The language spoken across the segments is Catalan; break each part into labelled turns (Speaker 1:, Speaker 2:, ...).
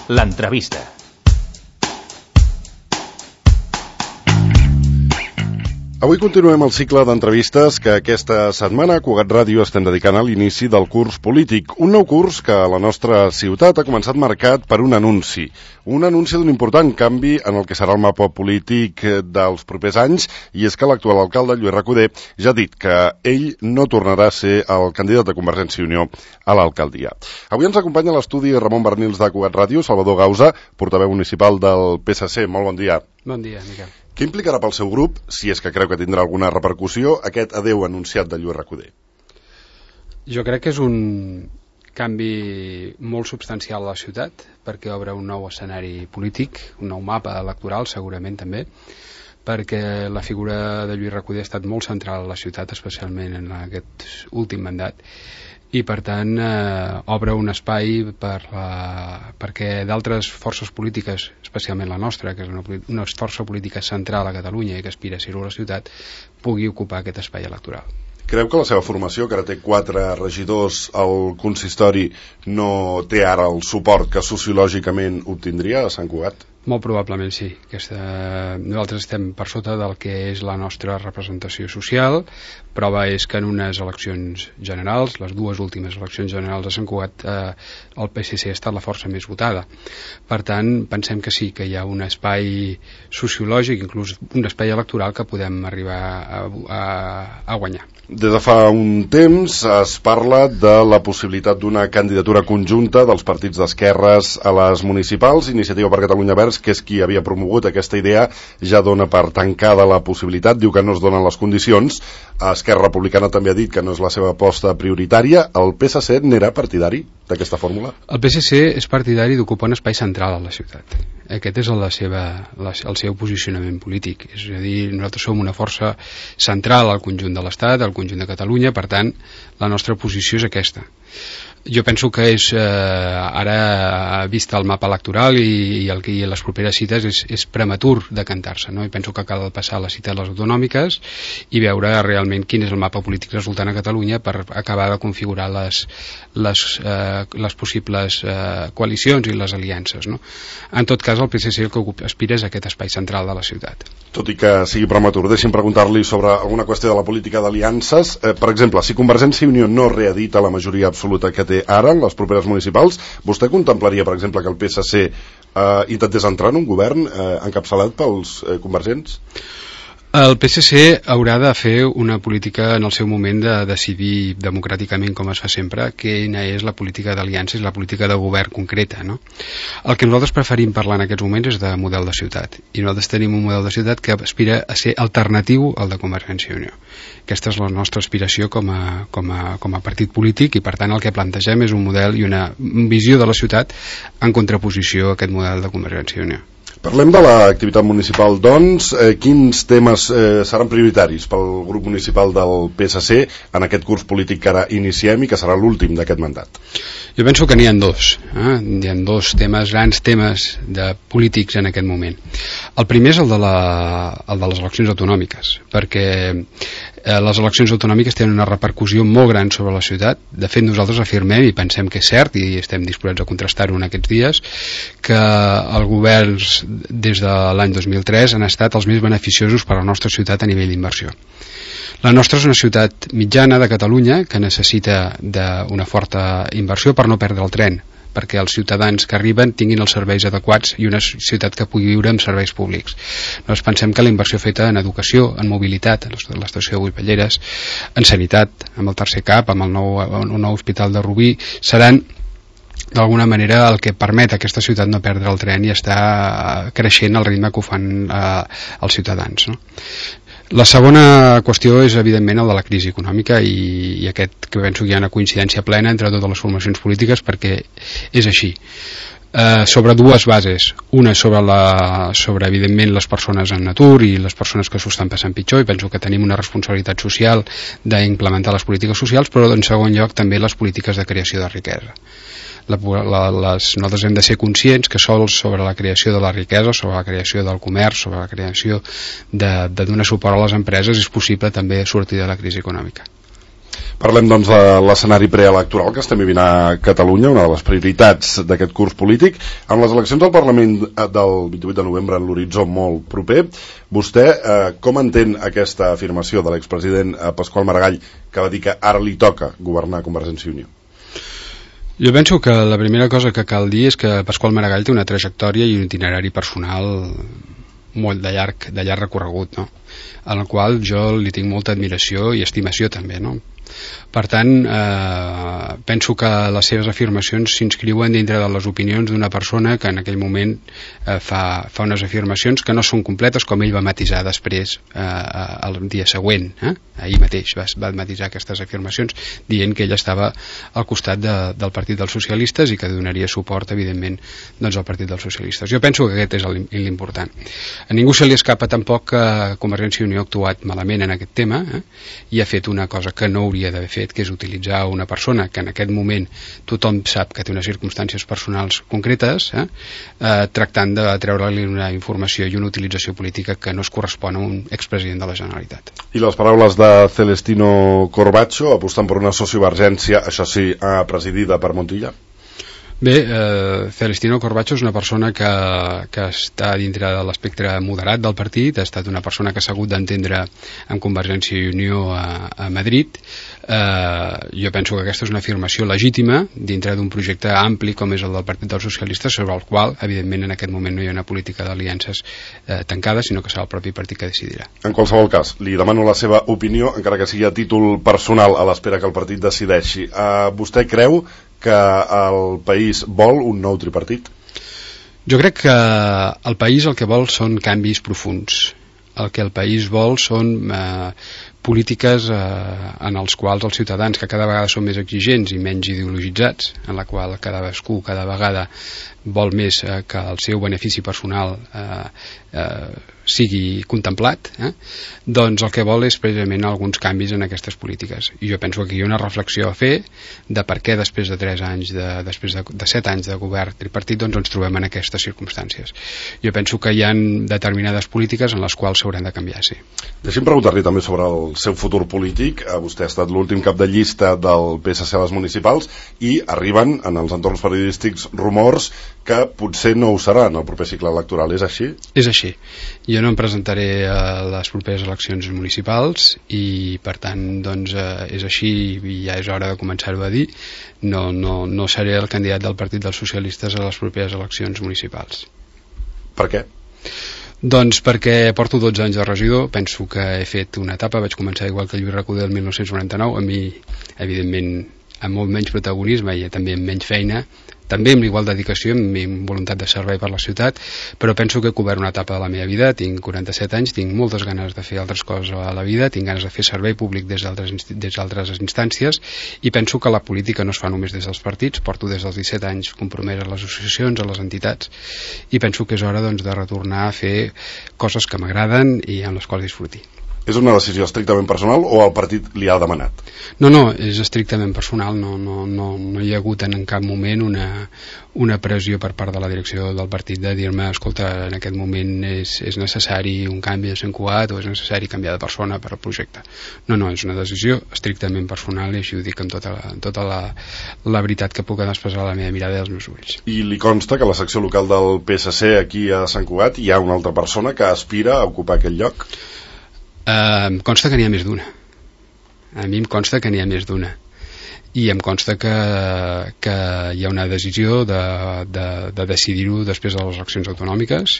Speaker 1: L'entrevista.
Speaker 2: Avui continuem el cicle d'entrevistes que aquesta setmana Cugat Ràdio estem dedicant a l'inici del curs polític. Un nou curs que a la nostra ciutat ha començat marcat per un anunci d'un important canvi en el que serà el mapa polític dels propers anys, i és que l'actual alcalde, Lluís Recoder, ja ha dit que ell no tornarà a ser el candidat de Convergència i Unió a l'alcaldia. Avui ens acompanya a l'estudi Ramon Bernils de Cugat Ràdio, Salvador Gausa, portaveu municipal del PSC. Molt bon dia.
Speaker 3: Bon dia, Miquel.
Speaker 2: Què implicarà pel seu grup, si és que creu que tindrà alguna repercussió, aquest adeu anunciat de Lluís Recoder?
Speaker 3: Jo crec que és un canvi molt substancial a la ciutat, perquè obre un nou escenari polític, un nou mapa electoral segurament també, perquè la figura de Lluís Recoder ha estat molt central a la ciutat, especialment en aquest últim mandat, i per tant obre un espai perquè d'altres forces polítiques, especialment la nostra, que és una força política central a Catalunya i que aspira a ser-ho a la ciutat, pugui ocupar aquest espai electoral.
Speaker 2: Creu que la seva formació, que ara té 4 regidors al consistori, no té ara el suport que sociològicament obtindria a Sant Cugat?
Speaker 3: Molt probablement sí. Nosaltres estem per sota del que és la nostra representació social. Prova és que en unes eleccions generals, les 2 últimes eleccions generals de Sant Cugat, el PSC ha estat la força més votada. Per tant, pensem que sí, que hi ha un espai sociològic, inclús un espai electoral que podem arribar a guanyar.
Speaker 2: Des de fa un temps es parla de la possibilitat d'una candidatura conjunta dels partits d'esquerres a les municipals. Iniciativa per Catalunya Verds, que és qui havia promogut aquesta idea, ja dona per tancada la possibilitat, diu que no es donen les condicions. Esquerra Republicana també ha dit que no és la seva aposta prioritària. El PSC n'era partidari d'aquesta fórmula?
Speaker 3: El PSC és partidari d'ocupar un espai central a la ciutat. Aquest és el seu posicionament polític. És a dir, nosaltres som una força central al conjunt de l'Estat, al conjunt de Catalunya, per tant, la nostra posició és aquesta. Jo penso que és, ara vist el mapa electoral i les properes cites, és prematur de cantar-se, no? I penso que cal passar les cites a les autonòmiques i veure realment quin és el mapa polític resultant a Catalunya per acabar de configurar les possibles coalicions i les aliances, no? En tot cas, el PSC el que aspira és aquest espai central de la ciutat.
Speaker 2: Tot i que sigui prematur, deixi'm preguntar-li sobre alguna qüestió de la política d'aliances. Per exemple, si Convergència i Unió no reedita la majoria absoluta que té ara en les properes municipals, vostè contemplaria, per exemple, que el PSC intentés entrar en un govern encapçalat pels convergents?
Speaker 3: El PSC haurà de fer una política en el seu moment de decidir democràticament, com es fa sempre, quina és la política d'aliances, la política de govern concreta, no? El que nosaltres preferim parlar en aquests moments és de model de ciutat, i nosaltres tenim un model de ciutat que aspira a ser alternatiu al de Convergència i Unió. Aquesta és la nostra aspiració com a partit polític, i per tant el que plantegem és un model i una visió de la ciutat en contraposició a aquest model de Convergència i Unió.
Speaker 2: Parlem de l'activitat municipal, doncs. Quins temes seran prioritaris pel grup municipal del PSC en aquest curs polític que ara iniciem i que serà l'últim d'aquest mandat?
Speaker 3: Jo penso que n'hi ha 2. Hi ha 2 temes, grans temes polítics en aquest moment. El primer és el de les eleccions autonòmiques, perquè les eleccions autonòmiques tenen una repercussió molt gran sobre la ciutat. De fet, nosaltres afirmem i pensem que és cert, i estem disposats a contrastar-ho en aquests dies, que els governs des de l'any 2003 han estat els més beneficiosos per a la nostra ciutat a nivell d'inversió. La nostra és una ciutat mitjana de Catalunya que necessita d'una forta inversió per no perdre el tren, perquè els ciutadans que arriben tinguin els serveis adequats i una ciutat que pugui viure amb serveis públics. Nosaltres pensem que la inversió feta en educació, en mobilitat, a l'estació de Guipelleres, en sanitat, amb el tercer CAP, amb el nou hospital de Rubí, seran d'alguna manera el que permet a aquesta ciutat no perdre el tren i estar creixent al ritme que ho fan els ciutadans, no? La segona qüestió és evidentment el de la crisi econòmica, i aquest que penso que hi ha una coincidència plena entre totes les formacions polítiques, perquè és així. Sobre 2 bases, una sobre evidentment les persones en atur i les persones que s'ho estan passant pitjor, i penso que tenim una responsabilitat social d'implementar les polítiques socials, però en segon lloc també les polítiques de creació de riquesa. Nosaltres hem de ser conscients que sols sobre la creació de la riquesa, sobre la creació del comerç, sobre la creació de donar suport a les empreses és possible també sortir de la crisi econòmica.
Speaker 2: Parlem, doncs, de l'escenari preelectoral que estem vivint a Catalunya, una de les prioritats d'aquest curs polític. Amb les eleccions al Parlament del 28 de novembre en l'horitzó molt proper, vostè com entén aquesta afirmació de l'expresident Pasqual Maragall, que va dir que ara li toca governar Convergència i Unió?
Speaker 3: Jo penso que la primera cosa que cal dir és que Pasqual Maragall té una trajectòria i un itinerari personal molt de llarg recorregut, no? En el qual jo li tinc molta admiració i estimació també, no? Per tant, penso que les seves afirmacions s'inscriuen dintre de les opinions d'una persona que en aquell moment fa unes afirmacions que no són completes, com ell va matisar després el dia següent, ahir mateix va matisar aquestes afirmacions dient que ell estava al costat del Partit dels Socialistes i que donaria suport, evidentment, doncs, al Partit dels Socialistes. Jo penso que aquest és l'important. A ningú se li escapa tampoc que Convergència i Unió ha actuat malament en aquest tema i ha fet una cosa que no hauria d'haver fet, que és utilitzar una persona que en aquest moment tothom sap que té unes circumstàncies personals concretes, tractant de treure-li una informació i una utilització política que no es correspon a un expresident de la Generalitat.
Speaker 2: I les paraules de Celestino Corbacho apostant per una sociovergència, això sí, presidida per Montilla?
Speaker 3: Bé, Celestino Corbacho és una persona que està dintre de l'espectre moderat del partit, ha estat una persona que s'ha hagut d'entendre amb Convergència i Unió a Madrid. Jo penso que aquesta és una afirmació legítima dintre d'un projecte ampli com és el del Partit dels Socialistes, sobre el qual, evidentment, en aquest moment no hi ha una política d'aliances tancada, sinó que serà el propi partit que decidirà.
Speaker 2: En qualsevol cas, li demano la seva opinió, encara que sigui a títol personal, a l'espera que el partit decideixi. Vostè creu que el país vol un nou tripartit?
Speaker 3: Jo crec que el país el que vol són canvis profunds. El que el país vol són polítiques en els quals els ciutadans, que cada vegada són més exigents i menys ideologitzats, en la qual cadascú cada vegada vol més que el seu benefici personal sigui contemplat, doncs el que vol és precisament alguns canvis en aquestes polítiques. I jo penso que hi ha una reflexió a fer de per què després de 3 anys, després de 7 anys de govern tripartit, doncs ens trobem en aquestes circumstàncies. Jo penso que hi ha determinades polítiques en les quals s'hauran de canviar, sí.
Speaker 2: Deixi'm preguntar-li també sobre el seu futur polític. Vostè ha estat l'últim cap de llista del PSC a les municipals i arriben en els entorns periodístics rumors que potser no ho serà en el proper cicle electoral. És així? És
Speaker 3: així. Jo no em presentaré a les properes eleccions municipals i per tant doncs és així i ja és hora de començar-ho a dir. No seré el candidat del Partit dels Socialistes a les properes eleccions municipals.
Speaker 2: Per què?
Speaker 3: Doncs perquè porto 12 anys de regidor, penso que he fet una etapa, vaig començar igual que Lluís Recoder el 1999, a mi evidentment amb molt menys protagonisme i també amb menys feina, també amb igual dedicació, amb voluntat de servei per la ciutat, però penso que he cobert una etapa de la meva vida, tinc 47 anys, tinc moltes ganes de fer altres coses a la vida, tinc ganes de fer servei públic des d'altres instàncies i penso que la política no es fa només des dels partits, porto des dels 17 anys compromès a les associacions, a les entitats i penso que és hora doncs, de retornar a fer coses que m'agraden i amb les quals disfruti.
Speaker 2: És una decisió estrictament personal o el partit li ha demanat?
Speaker 3: No, és estrictament personal, no hi ha hagut en cap moment una pressió per part de la direcció del partit de dir-me, escolta, en aquest moment és necessari un canvi de Sant Cugat o és necessari canviar de persona per al projecte. No, és una decisió estrictament personal i així ho dic amb tota la veritat que puc expressar a la meva mirada i als meus ulls.
Speaker 2: I li consta que a la secció local del PSC aquí a Sant Cugat hi ha una altra persona que aspira a ocupar aquest lloc?
Speaker 3: Em consta que n'hi ha més d'una. A mi em consta que n'hi ha més d'una. I em consta que hi ha una decisió de decidir-ho després de les eleccions autonòmiques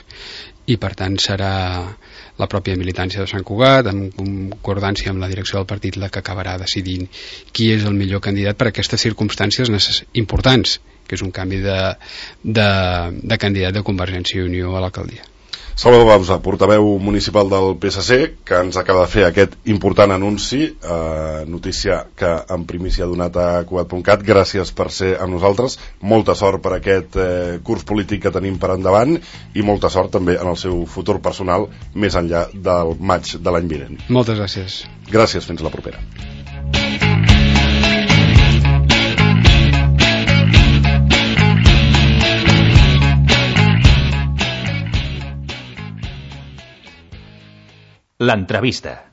Speaker 3: i per tant serà la pròpia militància de Sant Cugat, en concordància amb la direcció del partit, la que acabarà decidint qui és el millor candidat per a aquestes circumstàncies importants, que és un canvi de candidat de Convergència i Unió a l'alcaldia.
Speaker 2: Salvador Bauza, portaveu municipal del PSC, que ens acaba de fer aquest important anunci, notícia que en primícia ha donat a Cugat.cat. Gràcies per ser amb nosaltres, molta sort per aquest curs polític que tenim per endavant i molta sort també en el seu futur personal més enllà del maig de l'any vinent.
Speaker 3: Moltes gràcies.
Speaker 2: Gràcies, fins la propera.
Speaker 1: L'entrevista.